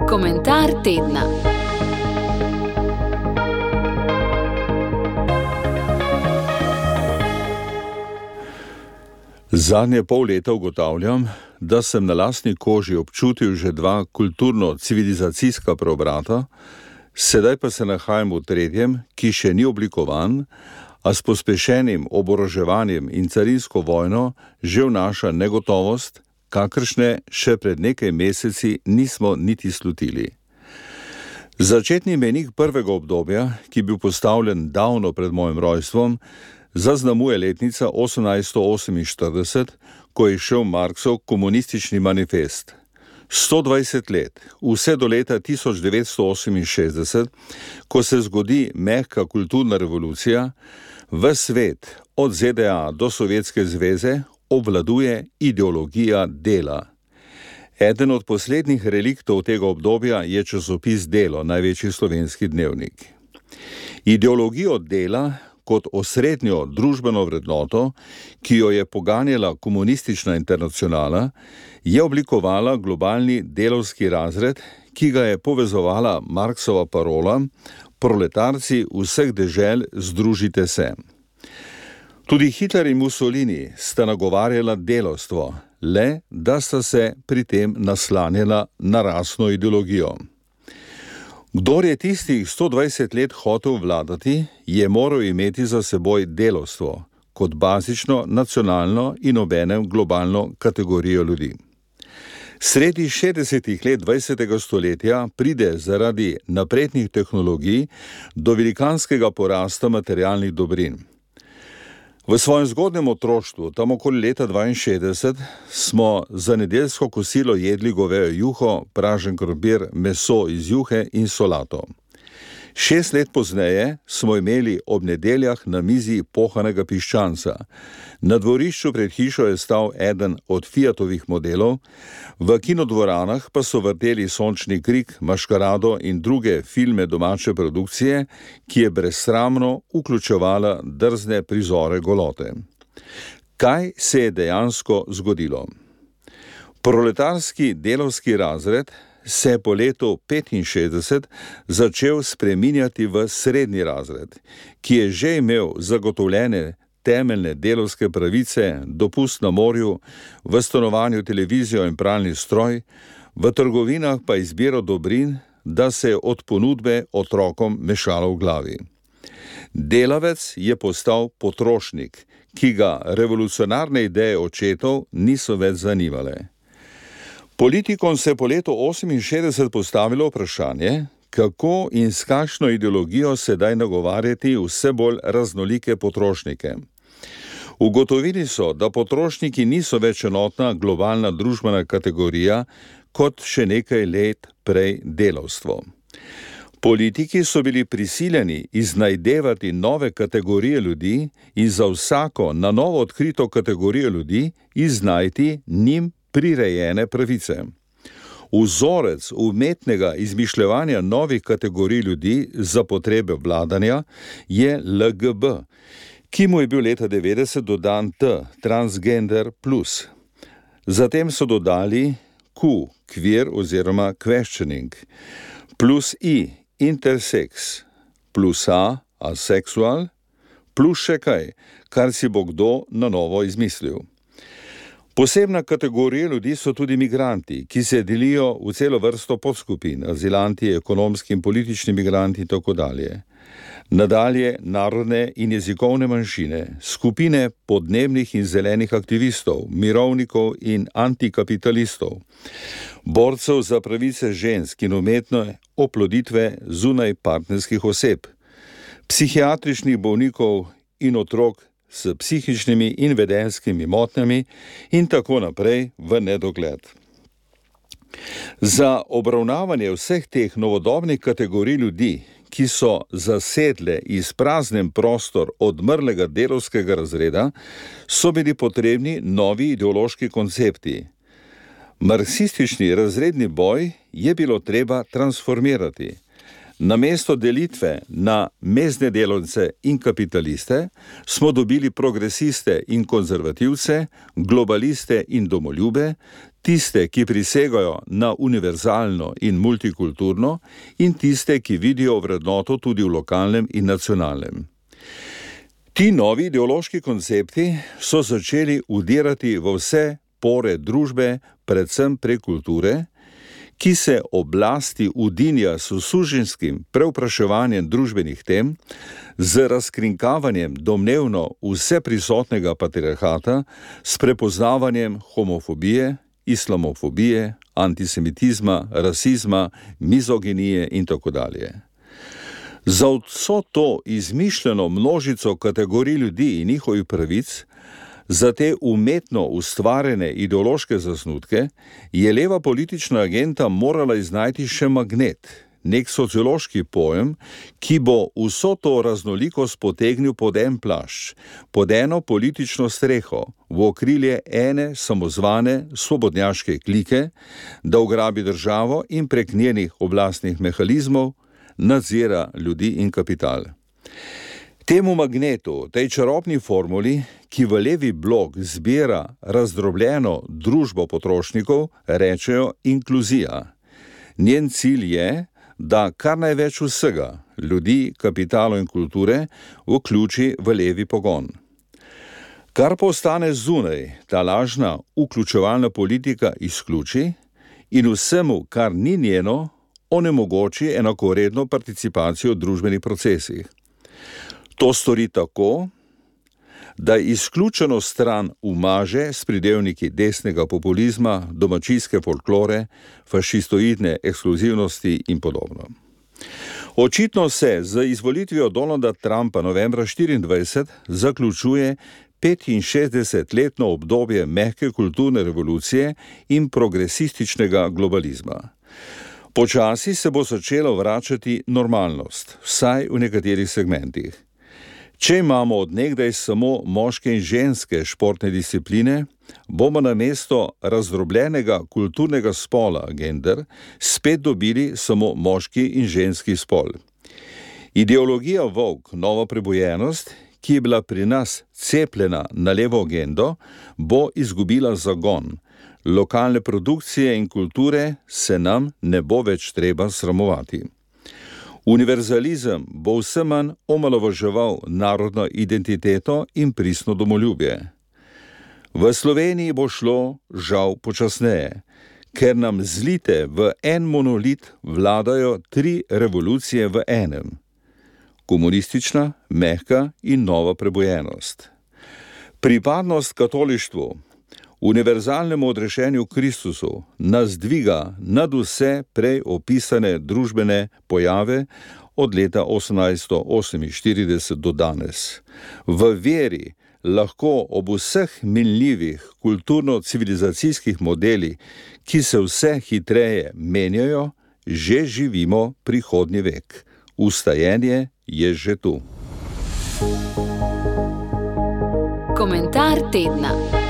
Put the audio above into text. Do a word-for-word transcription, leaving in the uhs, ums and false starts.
Komentar tedna. Zadnje pol leta ugotavljam, da sem na lastni koži občutil že dva kulturno-civilizacijska preobrata, sedaj pa se nahajam v tretjem, ki še ni oblikovan, a s pospešenim oboroževanjem in carinsko vojno že vnaša negotovost, kakršne še pred nekaj meseci nismo niti slutili. Začetni mejnik prvega obdobja, ki je bil postavljen davno pred mojim rojstvom, zaznamuje letnica osemnajststo oseminštirideset, ko je šel Marksov komunistični manifest. sto dvajset let, vse do leta tisoč devetsto oseminšestdeset, ko se zgodi mehka kulturna revolucija, ves svet, od Z D A do Sovjetske zveze, obvladuje ideologija dela. Eden od poslednjih reliktov tega obdobja je časopis Delo, največji slovenski dnevnik. Ideologijo dela kot osrednjo družbeno vrednoto, ki jo je poganjala komunistična internacionala, je oblikovala globalni delavski razred, ki ga je povezovala Marksova parola: proletarci vseh dežel, združite se. Tudi Hitler in Mussolini sta nagovarjala delavstvo, le da sta se pri tem naslanjala na rasno ideologijo. Kdor je tistih sto dvajset let hotel vladati, je moral imeti za seboj delavstvo kot bazično, nacionalno in obenem globalno kategorijo ljudi. Sredi šestdesetih let dvajsetega stoletja pride zaradi naprednih tehnologij do velikanskega porasta materialnih dobrin. V svojem zgodnjem otroštvu, tam okoli leta dvainšestdeset, smo za nedeljsko kosilo jedli govejo juho, pražen krompir, meso iz juhe in solato. Šest let pozneje smo imeli ob nedeljah na mizi pohanega piščanca. Na dvorišču pred hišo je stal eden od Fiatovih modelov, v kinodvoranah pa so vrteli Sončni krik, Maškarado in druge filme domače produkcije, ki je brezsramno vključevala drzne prizore golote. Kaj se je dejansko zgodilo? Proletarski delavski razred se je po letu petinšestdeset začel spreminjati v srednji razred, ki je že imel zagotovljene temeljne delavske pravice, dopust na morju, v stanovanju televizijo in pralni stroj, v trgovinah pa izbiro dobrin, da se je od ponudbe otrokom mešalo v glavi. Delavec je postal potrošnik, ki ga revolucionarne ideje očetov niso več zanimale. Politikom se je po letu oseminšestdeset postavilo vprašanje, kako in s kakšno ideologijo sedaj nagovarjati vse bolj raznolike potrošnike. Ugotovili so, da potrošniki niso več enotna globalna družbena kategorija kot še nekaj let prej delavstvo. Politiki so bili prisiljeni iznajdevati nove kategorije ljudi in za vsako na novo odkrito kategorijo ljudi iznajti njim prirejene pravice. Vzorec umetnega izmišljevanja novih kategorij ljudi za potrebe vladanja je L G B, ki mu je bil leta devetdeset dodan T, transgender plus. Zatem so dodali Q, queer oziroma questioning, plus I, intersex, plus A, asexual, plus še kaj, kar si bo kdo na novo izmislil. Posebna kategorija ljudi so tudi migranti, ki se delijo v celo vrsto podskupin, azilanti, ekonomski in politični migranti in tako dalje. Nadalje narodne in jezikovne manjšine, skupine podnebnih in zelenih aktivistov, mirovnikov in antikapitalistov, borcev za pravice žensk in umetne oploditve zunaj partnerskih oseb, psihiatričnih bolnikov in otrok s psihičnimi in vedenjskimi motnjami in tako naprej v nedogled. Za obravnavanje vseh teh novodobnih kategorij ljudi, ki so zasedle izpraznen prostor odmrlega delavskega razreda, so bili potrebni novi ideološki koncepti. Marksistični razredni boj je bilo treba transformirati. Namesto delitve na mezdne delavce in kapitaliste smo dobili progresiste in konzervativce, globaliste in domoljube, tiste, ki prisegajo na univerzalno in multikulturno, in tiste, ki vidijo vrednoto tudi v lokalnem in nacionalnem. Ti novi ideološki koncepti so začeli udirati v vse pore družbe, predvsem prek kulture, ki se oblasti udinja s suženjskim prevpraševanjem družbenih tem, z razkrinkavanjem domnevno vseprisotnega patriarhata, s prepoznavanjem homofobije, islamofobije, antisemitizma, rasizma, mizoginije in tako dalje. Za vso to izmišljeno množico kategorij ljudi in njihovih pravic, za te umetno ustvarjene ideološke zasnutke, je leva politična agenda morala iznajti še magnet, nek sociološki pojem, ki bo vso to raznolikost potegnil pod en plašč, pod eno politično streho, v okrilje ene samozvane svobodnjaške klike, da ugrabi državo in prek njenih oblastnih mehanizmov nadzira ljudi in kapital. Temu magnetu, tej čarobni formuli, ki v levi blok zbira razdrobljeno družbo potrošnikov, rečejo inkluzija. Njen cilj je, da kar največ vsega, ljudi, kapitalo in kulture, vključi v levi pogon. Kar pa ostane zunaj, ta lažna vključevalna politika izključi in vsemu, kar ni njeno, onemogoči enakovredno participacijo v družbenih procesih. To stori tako, da izključeno stran umaže s pridevniki desnega populizma, domačijske folklore, fašistoidne ekskluzivnosti in podobno. Očitno se z izvolitvijo Donalda Trumpa novembra štiriindvajset zaključuje petinšestdesetletno obdobje mehke kulturne revolucije in progresističnega globalizma. Počasi se bo začela vračati normalnost, vsaj v nekaterih segmentih. Če imamo od nekdaj samo moške in ženske športne discipline, bomo namesto razdrobljenega kulturnega spola, gender, spet dobili samo moški in ženski spol. Ideologija woke, nova prebojenost, ki je bila pri nas cepljena na levo agendo, bo izgubila zagon. Lokalne produkcije in kulture se nam ne bo več treba sramovati. Univerzalizem bo vse manj omalovaževal narodno identiteto in pristno domoljubje. V Sloveniji bo šlo žal počasneje, ker nam zlite v en monolit vladajo tri revolucije v enem. Komunistična, mehka in nova prebojenost. Pripadnost katolištvu, univerzalnemu odrešenju Kristusu, nas dviga nad vse prej opisane družbene pojave od leta osemnajststo oseminštirideset do danes. V veri lahko ob vseh minljivih kulturno-civilizacijskih modelih, ki se vse hitreje menjajo, že živimo prihodnji vek. Vstajenje je že tu. Komentar tedna.